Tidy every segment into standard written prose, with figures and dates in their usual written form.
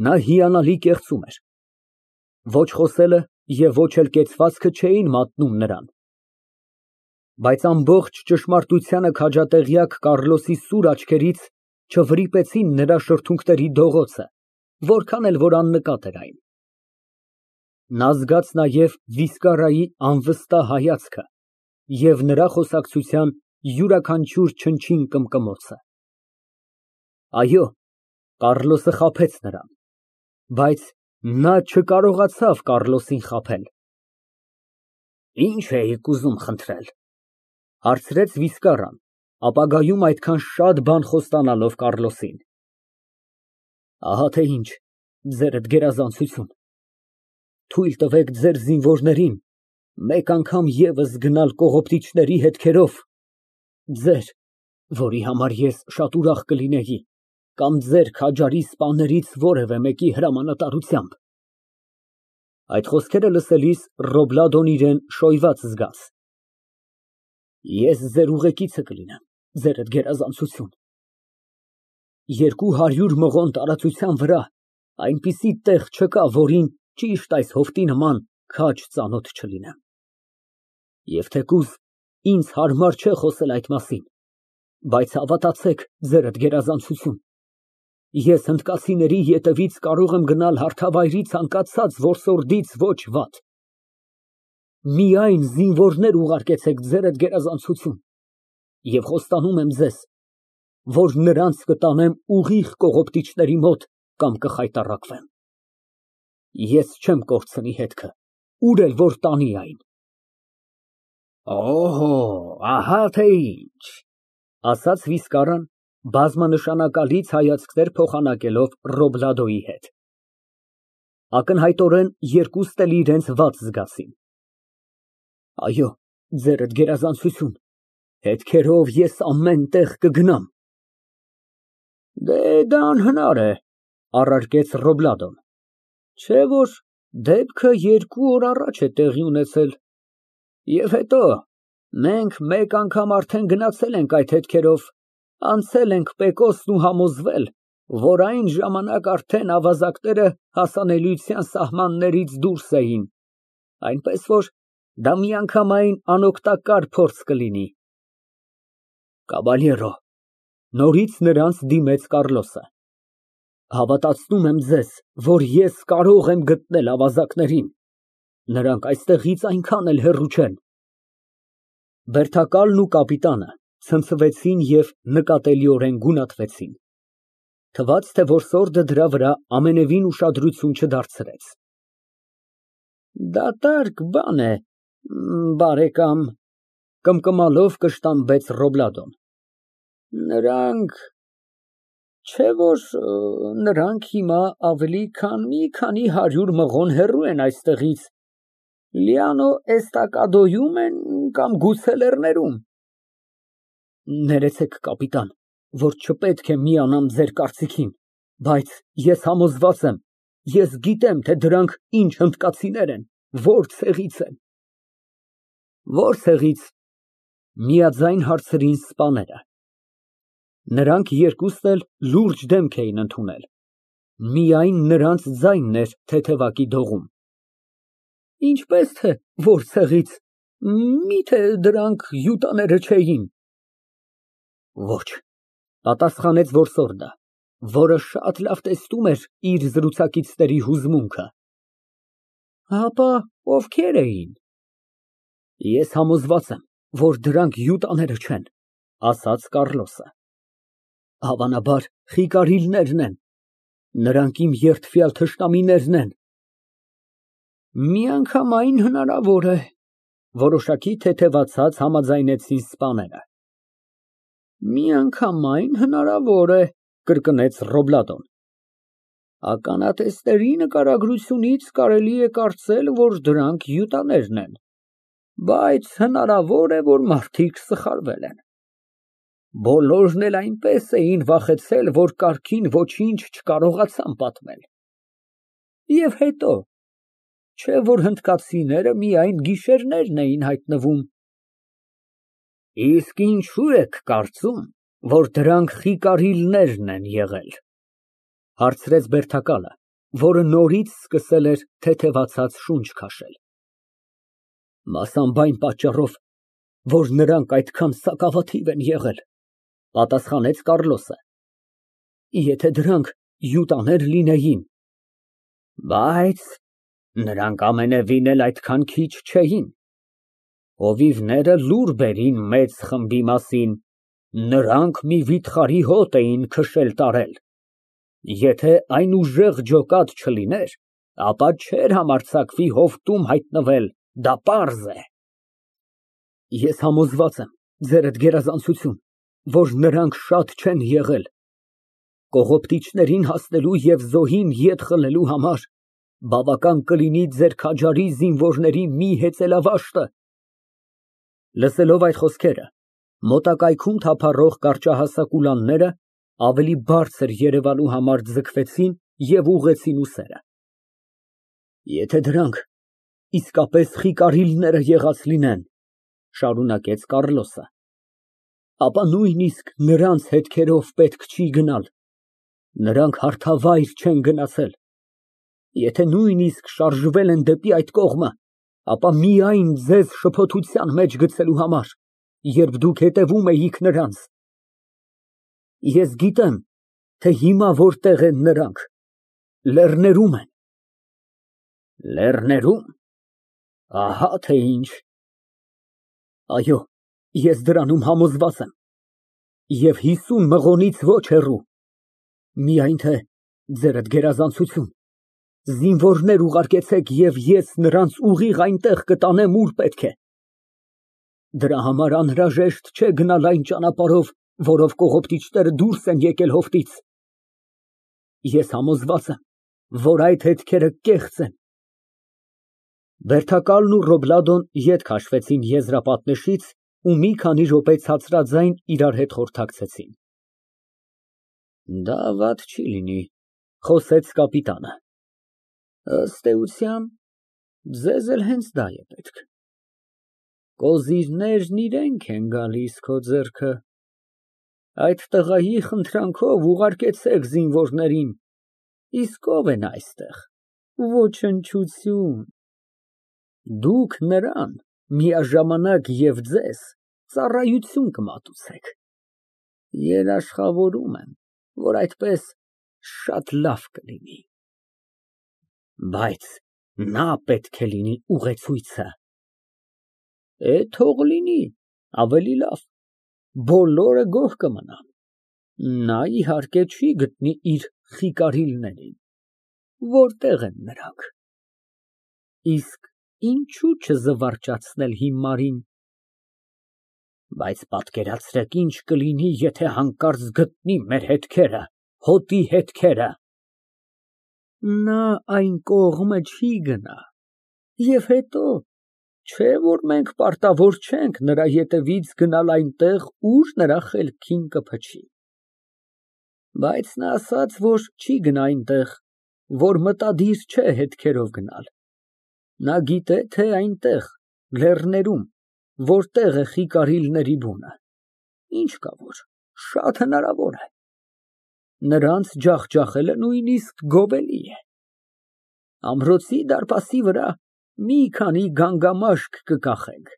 Նա հիանալի կեղծում էր։ Ոչ խոսելը և ոչ էլ կեցվածքը չէին մատնում նրան։ Բայց ամբողջ ճշմարտությանը քաջատեղյակ Կարլոսի սուր աչքերից չվրիպեցին նրա շրթունքների դողոցը, որքան էլ որ աննկատ էր այն։ Նա զգաց նաև վիսկարայի անվստահ հայացքը և նրա խոսակցության յուրաքանչյուր չնչին կմկմոցը։ Այո, Կարլոսը խաբեց նրան, բայց նա չկարողացավ Կառլոսին խաբել։ Ի՞նչ էիք ուզում խնդրել, հարցրեց վիսկարան, ապագայում այդքան շատ բան խոստանալով Կառլոսին։ Ահա թե ինչ, ձերդ գերազանցություն, թույլ տվեք ձեր զինվորներին մեկ անգամ ևս գնալ կողոպտիչների հետքերով, ձեր, որի համար ես շատ ուրախ կլինեի, կամ ձեր քաջարի սպաներից որևէ մեկի հրամանատարությամբ։ Այդ խոսքերը լսելիս Ռոբլադոն իրան շոյված զգաց։ Ես ձեր ուղեկիցը կլինեմ, ձերդ գերազանցություն։ 200 մղոն տարածության վրա այնպիսի տեղ չկա, որին ճիշտ այս հովտի նման քաջ ծանոթ չլինեմ։ Եվ թեկուզ ինձ հարմար չէ խոսել այդ մասին, բայց հավատացեք, ձերդ գերազանցություն, ես հնդկացիների ետևից կարող եմ գնալ հարթավայրի ցանկացած որսորդից ոչ վատ։ Միայն զինվորներ ուղարկեցեք, ձերդ գերազանցություն, և խոստանում եմ ձեզ, որ նրանց կտանեմ ուղիղ կողոպտիչների մոտ կամ կխայտառակվեմ։ Ես չեմ կորցնի հետքը, ուր էլ որ տանի այն։ Օհո, ահա թե ինչ, ասաց վիսկարան, բազմանշանակալից հայացքներ փոխանակելով Ռոբլադոյի հետ։ Ակնհայտորեն երկուստ էլ իրենց վատ զգացին։ Այո, ձերդ գերազանցություն, հետքերով ես ամեն տեղ կգնամ։ Դա անհնար է, առարկեց Ռոբլադոն, չէ որ դեպքը 2 օր առաջ է տեղի ունեցել, և հետո մենք մեկ անգամ արդեն գնացել ենք այդ հետքերով, անցել ենք Պեկոսն ու համոզվել, որ այն ժամանակ արդեն ավազակները հասանելիության սահմաններից դուրս էին, այնպես որ դա միանգամայն անօգտակար փորձ կլինի։ Կաբալյերո, նորից նրանց դիմեց Կառլոսը, հավատացնում եմ ձեզ, որ ես կարող եմ գտնել ավազակներին, նրանք այստեղից այնքան էլ հեռու չեն։ Բերդակալն ու կապիտանը ցնցվեցին և նկատելիորեն գունատվեցին։ Թվաց, թե որսորդը դրա վրա ամենևին ուշադրություն չդարձրեց։ Դատարկ բան է, բարեկամ, կմկմալով կշտամբեց Ռոբլադոն, չէ որ նրանք հիմա ավելի քան մի քանի 100 մղոն հեռու են այստեղից, Լիանո էստակադոյում են կամ գուցե լեռներում։ Ներեցեք, կապիտան, որ չպետք է միանամ ձեր կարծիքին, բայց ես համոզված եմ, ես գիտեմ, թե դրանք ինչ հնդկացիներ են, որ ցեղից են։ Որ ցեղից, միաձայն հարցրին սպաները։ Նրանք երկուստ էլ լուրջ դեմք էին ընդունել, միայն նրանց ձայնն էր թեթևակի դողում։ Ինչպես թե որ ցեղից, միթե դրանք յուտաները չէին։ Ոչ, պատասխանեց որսորդը, որը շատ լավ տեսնում էր իր զրուցակիցների հուզմունքը։ Ապա ովքեր էին։ Ես համոզված եմ, որ դրանք յուտաները չեն, ասաց Կառլոսը։ Հավանաբար խիկարիլներն են, նրանք իմ երդվյալ թշնամիներն են։ Միանգամայն հնարավոր է, որոշակի թեթևացած համաձայնեցին սպաները։ Միանգամայն հնարավոր է, կրկնեց Ռոբլադոն։ Ականատեսների նկարագրությունից կարելի է կարծել, որ դրանք յուտաներն են, բայց հնարավոր է, որ մարդիկ սխալվել են։ Բոլորն էլ այնպես էին վախեցել, որ կարգին ոչինչ չկարողացան պատմել։ Եվ հետո, չէ որ հնդկացիները միայն գիշերներն էին հայտնվում։ Իսկ ինչու եք կարծում, որ դրանք խիկարիլներն են եղել, հարցրեց բերդակալը, որը նորից սկսել էր թեթևացած շունչ քաշել։ Մասամբ այն պատճառով, որ նրանք այդքան սակավաթիվ են եղել, պատասխանեց Կառլոսը։ Եթե դրանք յուտաներ լինեին, բայց նրանք ամենևին էլ այդքան քիչ չէին։ Հովիվները լուր բերին մեծ խմբի մասին, նրանք մի վիթխարի հոտ էին քշել տարել։ Եթե այն ուժեղ ջոկատ չլիներ, ապա չէր համարձակվի հովտում հայտնվել, դա պարզ է։ Ես համոզված եմ, ձերդ գերազանցություն, որ նրանք շատ չեն եղել։ Կողոպտիչներին հասնելու և զոհին ետ խլելու համար բավական կլինի ձեր քաջարի զինվորների մի հեծելավաշտը։ Լսելով այդ խոսքերը, մոտակայքում թափառող կարճահասակ ուլանները ավելի բարձր երևալու համար ձգվեցին և ուղղեցին ուսերը։ Եթե դրանք իսկապես Խիկարիլները եղած լինեն, շարունակեց Կառլոսը, ապա նույնիսկ նրանց հետքերով պետք չի գնալ, նրանք հարթավայր չեն գնացել։ Եթե նույնիսկ շարժվել են դեպի այդ կողմը, ապա միայն ձեզ շփոթության մեջ գցելու համար, երբ դուք հետևում էիք նրանց։ Ես գիտեմ, թե հիմա որտեղ են նրանք, լեռներում են։ Լեռներում, ահա թե ինչ։ Այո, ես դրանում համոզված եմ, և 50 մղոնից ոչ հեռու։ Միայն թե ձերդ գերազանցություն, զինվորներ ուղարկեցեք և ես նրանց ուղիղ այնտեղ կտանեմ, ուր պետք է։ Դրա համար անհրաժեշտ չէ գնալ այն ճանապարհով, որով կողոպտիչները դուրս են եկել հովտից։ Ես համոզված եմ, որ այդ հետքերը կեղծ են։ Բերդակալն ու Ռոբլադոն ետ քաշվեցին եզրապատնեշից ու մի քանի րոպե ցածրաձայն իրար հետ խորհրդակցեցին։ Դա վատ չի լինի, խոսեց կապիտանը։ Ըստ էության, ձեզ էլ հենց դա է պետք։ Կոզիրներն իրենք են գալիս քո ձեռքը։ Այդ տղայի խնդրանքով ուղարկեցեք զինվորներին, իսկ ո՞վ են այստեղ։ Ոչնչություն։ Դուք նրան միաժամանակ և ձեզ ծառայություն կմատուցեք։ Երաշխավորում եմ, որ այդպես շատ լավ կլինի։ Բայց նա պետք է լինի ուղեցույցը։ Թող լինի, ավելի լավ, բոլորը գոհ կմնան։ Նա, իհարկե, չի գտնի իր Խիկարիլներին։ Որտե՞ղ են նրանք։ Իսկ ինչո՞ւ չզվարճացնել հիմարին։ Բայց պատկերացրեք, ինչ կլինի, եթե հանկարծ գտնի մեր հետքերը, հոտի հետքերը։ Նա այն կողմը չի գնա։ Եվ հետո, չէ՞ որ մենք պարտավոր չենք նրա ետևից գնալ այնտեղ, ուր նրա խելքին կփչի։ Բայց նա ասաց, որ չի գնա այնտեղ, որ մտադիր չէ հետքերով գնալ։ Նա գիտե, թե այնտեղ, լեռներում, որտեղ է Խիկարիլների բունը։ Ինչ կա որ, շատ հնարավոր է։ Նրանց ջախջախելը նույնիսկ գովելի է։ Ամրոցի դարպասի վրա մի քանի գանգամաշկ կկախենք,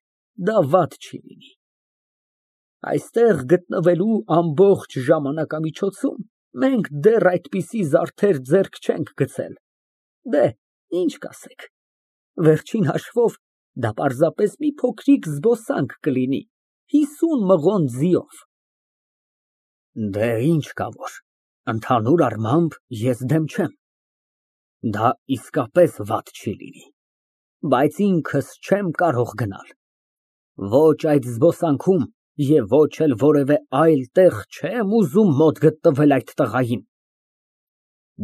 դա վատ չի լինի։ Այստեղ գտնվելու ամբողջ ժամանակամիջոցում մենք դեռ այդպիսի զարդեր ձեռք չենք գցել։ Ինչ կասեք, վերջին հաշվով դա պարզապես մի փոքրիկ զբոսանք կլինի, 50 մղոն ձիով։ Ինչ կա որ, ընդհանուր առմամբ ես դեմ չեմ։ Դա իսկապես վատ չի լինի, բայց ինքս չեմ կարող գնալ։ Ոչ այդ զբոսանքում և ոչ էլ որևէ այլ տեղ չեմ ուզում մոտ գտնվել այդ տղային։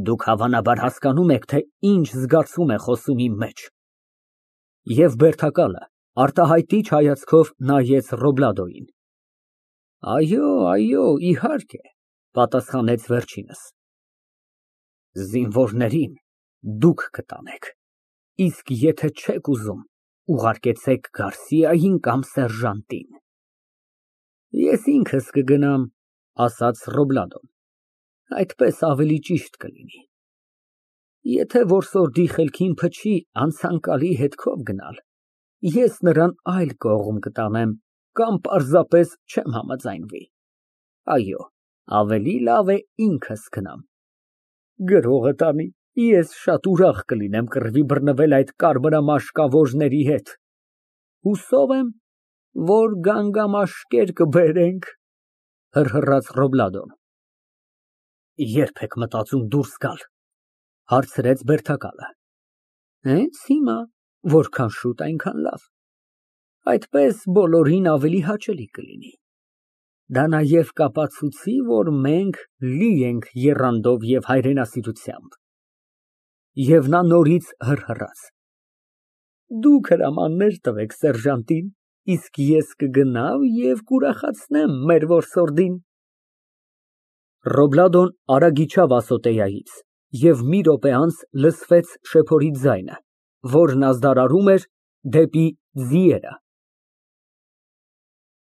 Դուք հավանաբար հասկանում եք, թե ինչ զգացում է խոսում իմ մեջ։ Եվ բերդակալը արտահայտիչ հայացքով նայեց Ռոբլադոյին։ Այո, իհարկե, պատասխանեց վերջինս։ Զինվորներին դուք կտանեք, իսկ եթե չեք ուզում, ուղարկեցեք Գարսիային կամ սերժանտին։ Ես ինքս կգնամ, ասաց Ռոբլադոն, այդպես ավելի ճիշտ կլինի։ Եթե որսորդի խելքին փչի անցանկալի հետքով գնալ, ես նրան այլ կողմ կտանեմ կամ պարզապես չեմ համաձայնվի։ Այո, ավելի լավ է ինքս գնամ։ Գրողը տանի, ես շատ ուրախ կլինեմ կռվի բռնվել այդ կարմրամաշկավորների հետ։ Հուսով եմ, որ գանգամաշկեր կբերենք։ Հռհռաց Ռոբլադոն։ Ե՞րբ եք մտածում դուրս գալ, հարցրեց բերդակալը։ Հենց հիմա, որքան շուտ, այնքան լավ, այդպես բոլորին ավելի հաճելի կլինի։ Դա նաև կապացուցի, որ մենք լի ենք եռանդով և հայրենասիրությամբ։ Եվ նա նորից հռհռաց։ Դուք հրամաններ տվեք սերժանտին, իսկ ես կգնամ և կուրախացնեմ մեր որսորդին։ Ռոբլադոն արագ իջավ ասոտեայից և մի րոպե անց լսվեց շեփորի ձայնը, որն ազդարարում էր դեպի ձիերը։